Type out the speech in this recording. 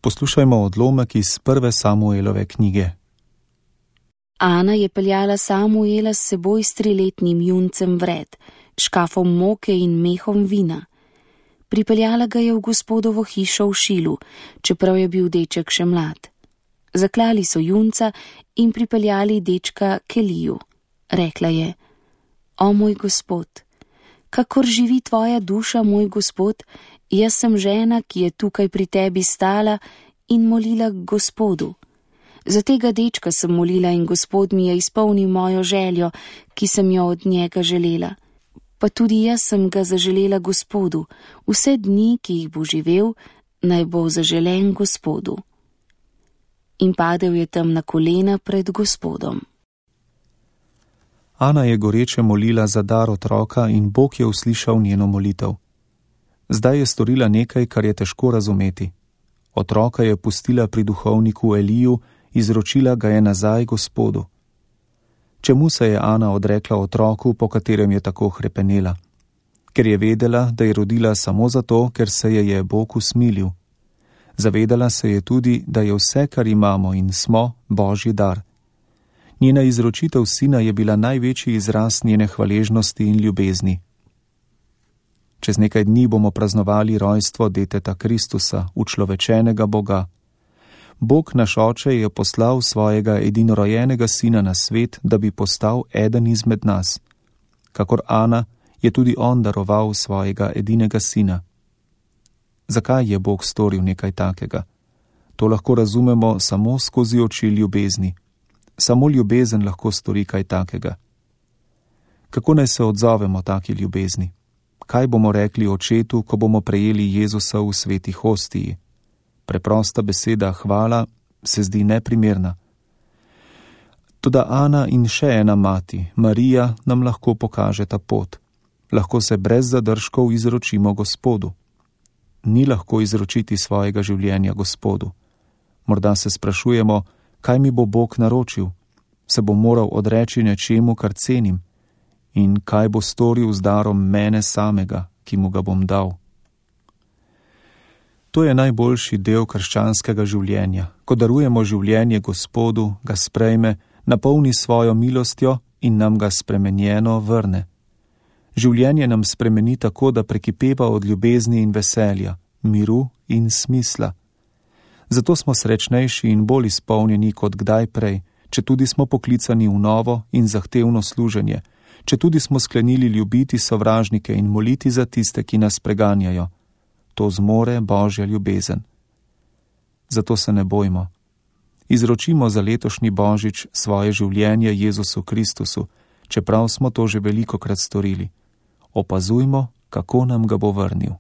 Poslušajmo odlomek iz 1. Samuelove knjige. Ana je peljala Samuela s seboj s 3-letnim juncem vred, škafom moke in mehom vina. Pripeljala ga je v gospodovo hišo v Šilu, čeprav je bil deček še mlad. Zaklali so junca in pripeljali dečka k Eliju. Rekla je: O moj gospod, kakor živi tvoja duša, moj gospod, jaz sem žena, ki je tukaj pri tebi stala in molila Gospodu. Za tega dečka sem molila in Gospod mi je izpolnil mojo željo, ki sem jo od njega želela. Pa tudi jaz sem ga zaželela Gospodu, vse dni, ki jih bo živel, naj bo zaželen Gospodu. In padel je tam na kolena pred Gospodom. Ana je goreče molila za dar otroka in Bog je uslišal njeno molitev. Zdaj je storila nekaj, kar je težko razumeti. Otroka je pustila pri duhovniku Eliju, izročila ga je nazaj Gospodu. Čemu se je Ana odrekla otroku, po katerem je tako hrepenela? Ker je vedela, da je rodila samo zato, ker se je Bog usmilil. Zavedala se je tudi, da je vse, kar imamo in smo, Božji dar. Njena izročitev sina je bila največji izraz njene hvaležnosti in ljubezni. Čez nekaj dni bomo praznovali rojstvo deteta Kristusa, učlovečenega Boga. Bog naš Oče je poslal svojega edinorojenega sina na svet, da bi postal eden izmed nas. Kakor Ana, je tudi on daroval svojega edinega sina. Zakaj je Bog storil nekaj takega? To lahko razumemo samo skozi oči ljubezni. Samo ljubezen lahko stori kaj takega. Kako naj se odzovemo taki ljubezni? Kaj bomo rekli očetu, ko bomo prejeli Jezusa v sveti hostiji? Preprosta beseda hvala se zdi neprimerna. Toda Ana in še ena mati, Marija, nam lahko pokaže ta pot. Lahko se brez zadržkov izročimo Gospodu. Ni lahko izročiti svojega življenja Gospodu. Morda se sprašujemo, kaj mi bo Bog naročil? Se bom moral odreči nečemu, kar cenim? In kaj bo storil z darom mene samega, ki mu ga bom dal? To je najboljši del krščanskega življenja. Ko darujemo življenje Gospodu, ga sprejme, napolni svojo milostjo in nam ga spremenjeno vrne. Življenje nam spremeni tako, da prekipeva od ljubezni in veselja, miru in smisla. Zato smo srečnejši in bolj izpolnjeni kot kdaj prej, četudi smo poklicani v novo in zahtevno služenje, četudi smo sklenili ljubiti sovražnike in moliti za tiste, ki nas preganjajo. To zmore Božja ljubezen. Zato se ne bojmo. Izročimo za letošnji Božič svoje življenje Jezusu Kristusu, čeprav smo to že velikokrat storili. Opazujmo, kako nam ga bo vrnil.